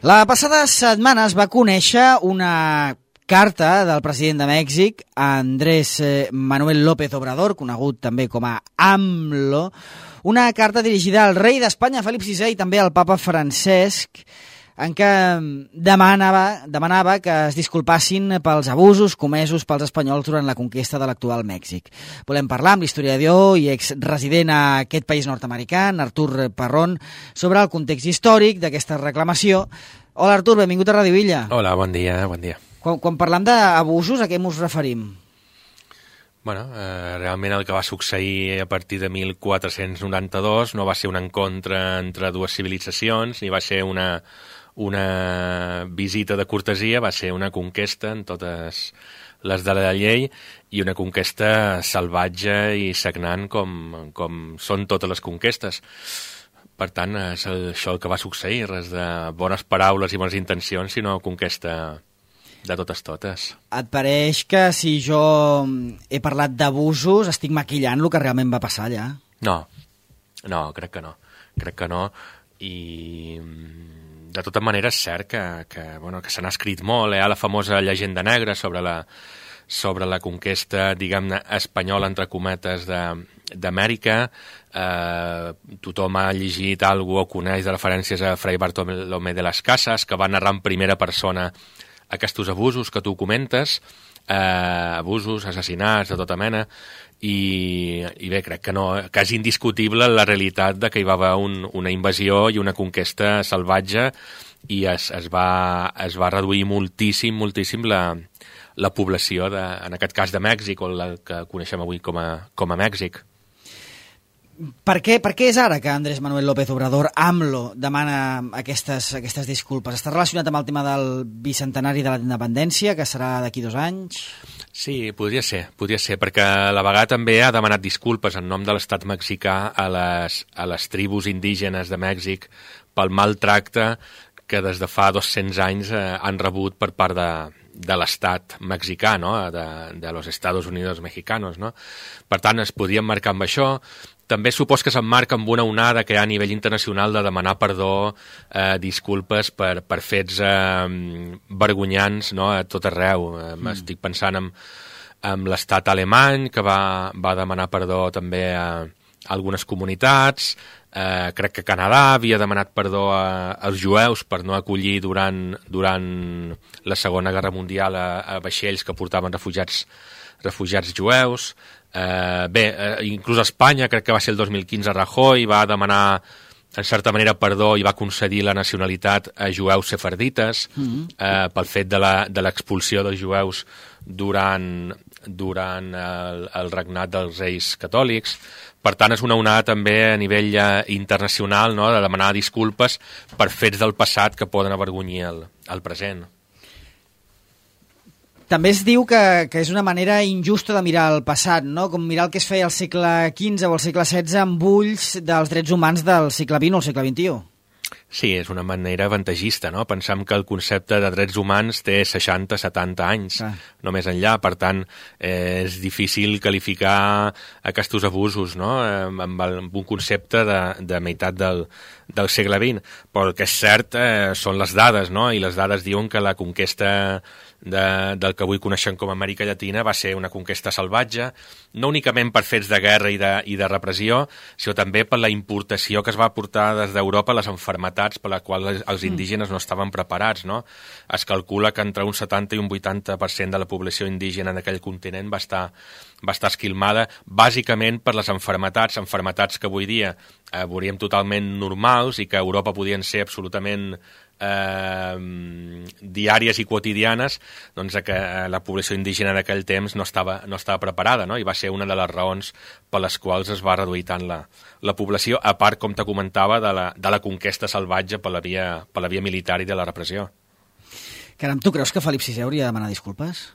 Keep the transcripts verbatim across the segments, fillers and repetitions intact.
La passada setmana es va conèixer una carta del president de Mèxic, Andrés Manuel López Obrador, conegut també com a AMLO, una carta dirigida al rei d'Espanya, Felip sisè, i també al papa Francesc, en què demanava, demanava que es disculpassin pels abusos comesos pels espanyols durant la conquesta de l'actual Mèxic. Volem parlar amb l'historiador i exresident a aquest país nord-americà, Artur Parrón, sobre el context històric d'aquesta reclamació. Hola, Artur, benvingut a Ràdio Illa. Hola, bon dia, bon dia. Quan, quan parlam d'abusos, a què ens referim? Bueno, eh, realment el que va succeir a partir de mil quatre-cents noranta-dos no va ser un encontre entre dues civilitzacions, ni va ser una, una visita de cortesia, va ser una conquesta en totes les de la llei i una conquesta salvatge i sagnant com, com són totes les conquestes. Per tant, és això el que va succeir, res de bones paraules i bones intencions, sinó conquesta de totes totes. Et pareix que si jo he parlat d'abusos estic maquillant el que realment va passar allà? No, no, crec que no. Crec que no. I de tota manera és cert que, que, bueno, que se n'ha escrit molt. Hi ha la famosa llegenda negra sobre la, sobre la conquesta, diguem-ne, espanyola, entre cometes, de, d'Amèrica. Eh, tothom ha llegit alguna o coneix de referències a Fray Bartolomé de las Casas, que va narrar en primera persona aquests abusos que tu comentes, eh, abusos, assassinats de tota mena, i, i bé, crec que, no, que és indiscutible la realitat de que hi va haver un, una invasió i una conquesta salvatge i es, es, va, es va reduir moltíssim, moltíssim la, la població, de, en aquest cas de Mèxic, o la que coneixem avui com a, com a Mèxic. Per què, per què és ara que Andrés Manuel López Obrador, AMLO, demana aquestes, aquestes disculpes? Està relacionat amb el tema del bicentenari de la independència, que serà d'aquí dos anys? Sí, podria ser, podria ser, perquè a la vegada també ha demanat disculpes en nom de l'estat mexicà a les, a les tribus indígenes de Mèxic pel maltracte que des de fa dos-cents anys eh, han rebut per part de, de l'estat mexicà, no? de, de los Estados Unidos mexicanos. No? Per tant, es podien marcar amb això. També supos que s'emmarca amb una onada que hi ha a nivell internacional de demanar perdó, eh, disculpes per, per fets eh, vergonyants, no? A tot arreu. Eh, mm. Estic pensant en, en l'estat alemany, que va, va demanar perdó també a, a algunes comunitats. Eh, crec que Canadà havia demanat perdó a, als jueus per no acollir durant, durant la Segona Guerra Mundial a, a vaixells que portaven refugiats, refugiats jueus. Eh, bé, eh, inclús a Espanya, crec que va ser el dos mil quinze, Rajoy va demanar en certa manera perdó i va concedir la nacionalitat a jueus sefardites mm-hmm. eh, pel fet de l'expulsió dels jueus durant, durant el, el regnat dels reis catòlics. Per tant, és una onada també a nivell eh, internacional, no?, de demanar disculpes per fets del passat que poden avergonyir el, el present. També es diu que, que és una manera injusta de mirar el passat, no? Com mirar el que es feia al segle quinze o al segle setze amb ulls dels drets humans del segle vint o el segle vint-i-u. Sí, és una manera avantatgista, no? Pensem que el concepte de drets humans té seixanta setanta anys, ah. no més enllà. Per tant, eh, és difícil qualificar aquests abusos, no?, amb, amb un concepte de, de meitat del, del segle vint. Però el que és cert eh, són les dades, no? I les dades diuen que la conquesta de, del que avui coneixem com a Amèrica Llatina va ser una conquesta salvatge, no únicament per fets de guerra i de, i de repressió, sinó també per la importació que es va portar des d'Europa a les malalties per les quals els indígenes no estaven preparats, no? Es calcula que entre un setanta i un vuitanta per cent de la població indígena en aquell continent va estar, va estar esquilmada, bàsicament per les malalties, malalties que avui dia eh, veuríem totalment normals i que a Europa podien ser absolutament eh, diàries i quotidianes, doncs que la població indígena d'aquell temps no estava, no estava preparada, no? I va ser una de les raons per les quals es va reduir tant la, la població, a part, com te comentava, de la, de la conquesta salvatge per la, via, per la via militar i de la repressió. Caram, tu creus que Felip sisè hauria de demanar disculpes?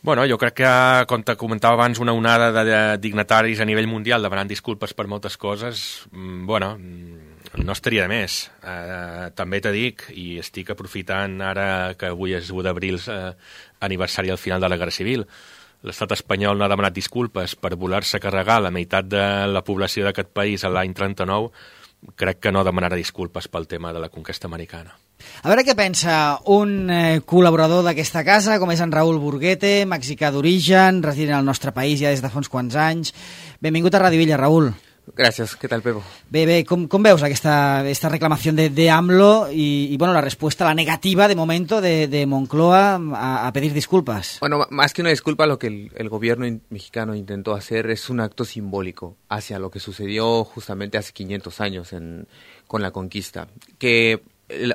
Bueno, jo crec que, com te comentava abans, una onada de dignataris a nivell mundial demanant disculpes per moltes coses, bueno, no estaria de més. Eh, també te dic, i estic aprofitant ara que avui és u d'abril, eh, aniversari al final de la Guerra Civil, l'estat espanyol no ha demanat disculpes per voler-se carregar la meitat de la població d'aquest país a l'any trenta-nou, crec que no demanarà disculpes pel tema de la conquesta americana. A veure què pensa un eh, col·laborador d'aquesta casa, com és en Raül Burguete, mexicà d'origen, resident al nostre país ja des de fa uns quants anys. Benvingut a Radio Illa, Raül. Gracias, ¿qué tal, Pepo? Bé, bé, com, com veus aquesta, esta reclamación de, de AMLO y, y, bueno, la respuesta, la negativa de momento de, de Moncloa a, a pedir disculpas? Bueno, más que una disculpa, lo que el, el gobierno in, mexicano intentó hacer es un acto simbólico hacia lo que sucedió justamente hace quinientos años en, con la conquista, que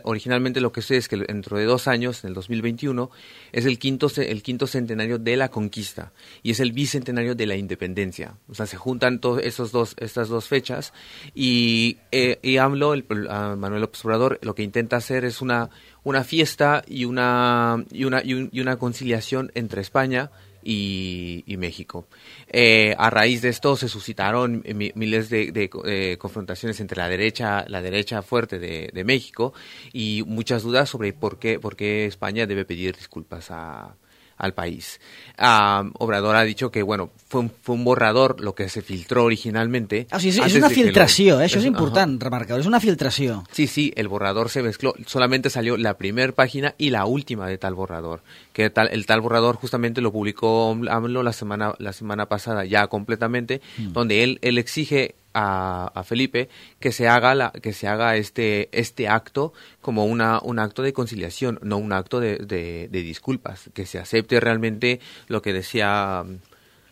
originalmente lo que sé es que dentro de dos años, en el dos mil veintiuno, es el quinto, el quinto centenario de la conquista y es el bicentenario de la independencia. O sea, se juntan todos esos dos, estas dos fechas y, eh, y AMLO, el, uh, Manuel López Obrador, lo que intenta hacer es una, una fiesta y una, y, una, y, un, y una conciliación entre España Y, y México. Eh, a raíz de esto se suscitaron mi, miles de, de, de confrontaciones entre la derecha, la derecha fuerte de, de México y muchas dudas sobre por qué, por qué España debe pedir disculpas a, al país. Uh, Obrador ha dicho que, bueno, fue un, fue un borrador lo que se filtró originalmente. Ah, o sigui, és una filtració, lo, eh? Això és important remarcar, és una filtració. Sí, sí, el borrador se mezcló, solamente salió la primera página y la última de tal borrador, que tal, el tal borrador justamente lo publicó AMLO la semana, la semana pasada ya completamente, mm. donde él, él exige A, a Felipe que se haga la que se haga este este acto como una un acto de conciliación, no un acto de, de, de disculpas, que se acepte realmente lo que decía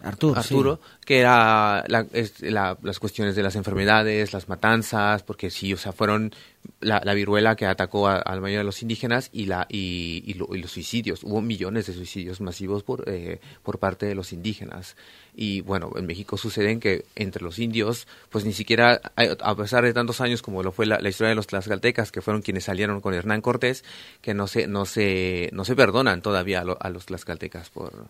Arturo, Arturo sí. que era la, es, la, las cuestiones de las enfermedades, las matanzas, porque sí, o sea, fueron la, la viruela que atacó a, a la mayoría de los indígenas y la y, y, lo, y los suicidios. Hubo millones de suicidios masivos por eh, por parte de los indígenas. Y bueno, en México suceden que entre los indios, pues ni siquiera, a pesar de tantos años como lo fue la, la historia de los tlaxcaltecas, que fueron quienes salieron con Hernán Cortés, que no se no se no se perdonan todavía a, lo, a los tlaxcaltecas por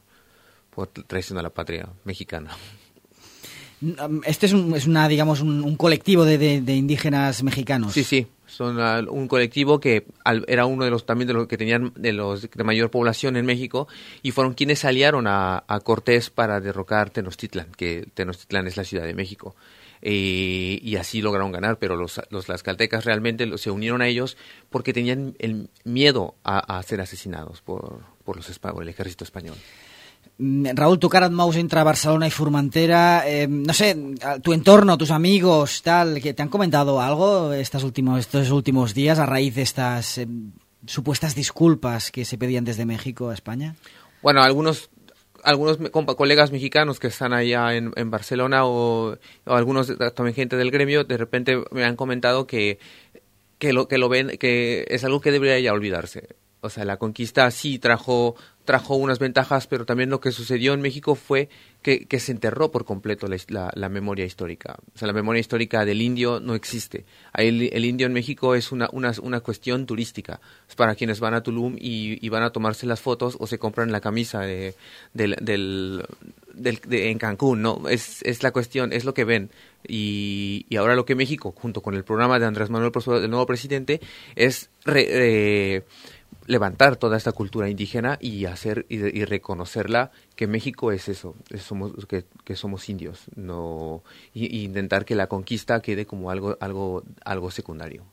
por traición a la patria mexicana. Este es, un, es una, digamos, un, un colectivo de, de, de indígenas mexicanos. Sí, sí, son uh, un colectivo que al, era uno de los también de los que tenían de los de mayor población en México y fueron quienes salieron a, a Cortés para derrocar Tenochtitlan, que Tenochtitlan es la Ciudad de México. Eh, y así lograron ganar, pero los, los tlaxcaltecas realmente se unieron a ellos porque tenían el miedo a, a ser asesinados por, por, los, por el ejército español. Raúl, tu cara et mous entre Barcelona y Formentera, eh, no sé, tu entorno, tus amigos, tal, que ¿te han comentado algo estos últimos, estos últimos días a raíz de estas eh, supuestas disculpas que se pedían desde México a España? Bueno, algunos algunos compa, colegas mexicanos que están allá en, en Barcelona o, o algunos también gente del gremio, de repente me han comentado que, que, lo, que lo ven, que es algo que debería ya olvidarse. O sea, la conquista sí trajo trajo unas ventajas, pero también lo que sucedió en México fue que, que se enterró por completo la, la, la memoria histórica. O sea, la memoria histórica del indio no existe. Ahí el, el indio en México es una, una, una cuestión turística. Es para quienes van a Tulum y, y van a tomarse las fotos o se compran la camisa de, del, del, del, de, en Cancún, ¿no? Es, es la cuestión, es lo que ven. Y, y ahora lo que México, junto con el programa de Andrés Manuel, el nuevo presidente, es re, eh, levantar toda esta cultura indígena y hacer y, y reconocerla, que México es eso, es somos que, que somos indios, no y, y intentar que la conquista quede como algo algo algo secundario.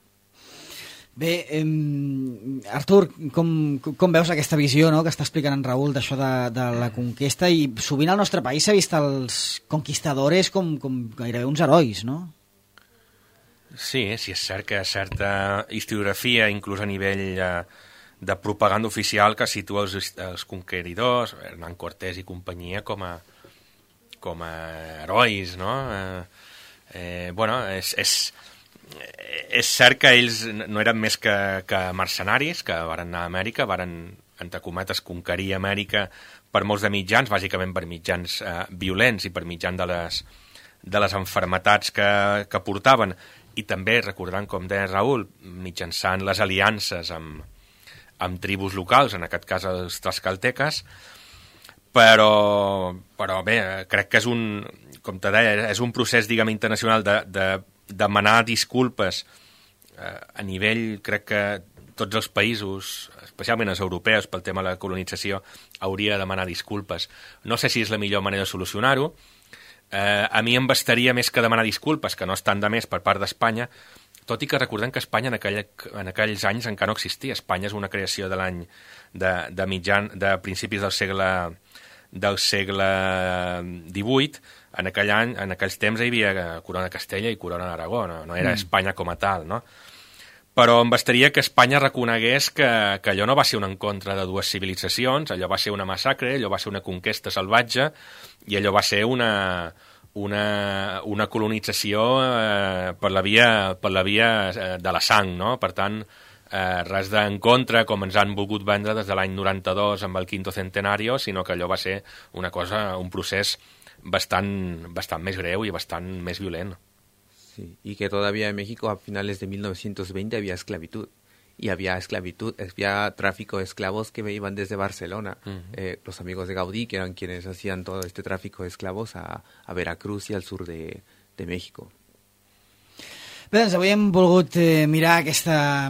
Bé, eh, Artur, com, com veus aquesta visió, no?, que està explicant en Raül d'això de, de la conquesta, i sovint al nostre país s'ha vist els conquistadores com, com gairebé uns herois, no? Sí, sí, és cert que certa historiografia, inclús a nivell eh, de propaganda oficial, que situa els, els conqueridors, Hernán Cortés i companyia, com a, com a herois, no? Eh, eh, bueno, és, és, és cert que ells no eren més que, que mercenaris, que varen anar a Amèrica, varen, entre cometes, conquerir Amèrica per molts de mitjans, bàsicament per mitjans eh, violents i per mitjans de les, de les enfermetats que, que portaven, i també, recordant, com deia Raül, mitjançant les aliances amb, amb tribus locals, en aquest cas els tlaxcalteques, però, però bé, crec que és un, com te deia, és un procés, diguem, internacional de, de demanar disculpes eh, a nivell, crec que tots els països, especialment els europeus, pel tema de la colonització, hauria de demanar disculpes. No sé si és la millor manera de solucionar-ho. Eh, a mi em bastaria més que demanar disculpes, que no estan de més per part d'Espanya, tot i que recordem que Espanya en, aquell, en aquells anys encara no existia. Espanya és una creació de l'any de, de mitjan, de principis del segle del segle divuit. En aquell any, en aquells temps hi havia Corona Castella i Corona d'Aragó, no, no era mm. Espanya com a tal, no? Però em bastaria que Espanya reconegués que, que allò no va ser un encontre de dues civilitzacions, allò va ser una massacre, allò va ser una conquesta salvatge i allò va ser una, una, una colonització eh, per la via, per la via eh, de la sang, no? Per tant, eh, res d'encontre com ens han volgut vendre des de l'any noranta-dos amb el quinto centenario, sinó que allò va ser una cosa, un procés bastant, bastant més greu i bastant més violent. Sí, y que todavía en México a finales de mil novecientos veinte había esclavitud. Y había esclavitud, había tráfico de esclavos que iban desde Barcelona. Uh-huh. eh, los amigos de Gaudí, que eran quienes hacían todo este tráfico de esclavos a, a Veracruz y al sur de, de México. Bé, doncs avui hem volgut eh, mirar aquesta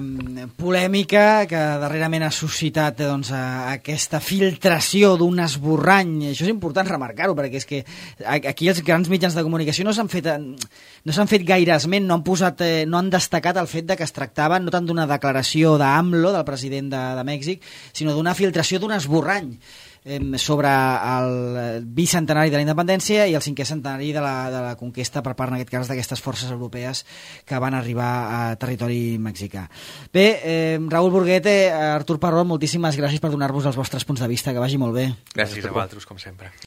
polèmica que darrerament ha suscitat doncs, a, aquesta filtració d'un esborrany. Això és important remarcar-ho, perquè és que aquí els grans mitjans de comunicació no s'han fet, no s'han fet gaire esment, no han, posat, eh, no han destacat el fet de que es tractava no tant d'una declaració d'AMLO, del president de, de Mèxic, sinó d'una filtració d'un esborrany sobre el bicentenari de la independència i el cinquè centenari de la, de la conquesta per part, en aquest cas, d'aquestes forces europees que van arribar a territori mexicà. Bé, eh, Raül Burguete, Artur Parrón, moltíssimes gràcies per donar-vos els vostres punts de vista, que vagi molt bé. Gràcies a vosaltres, com sempre.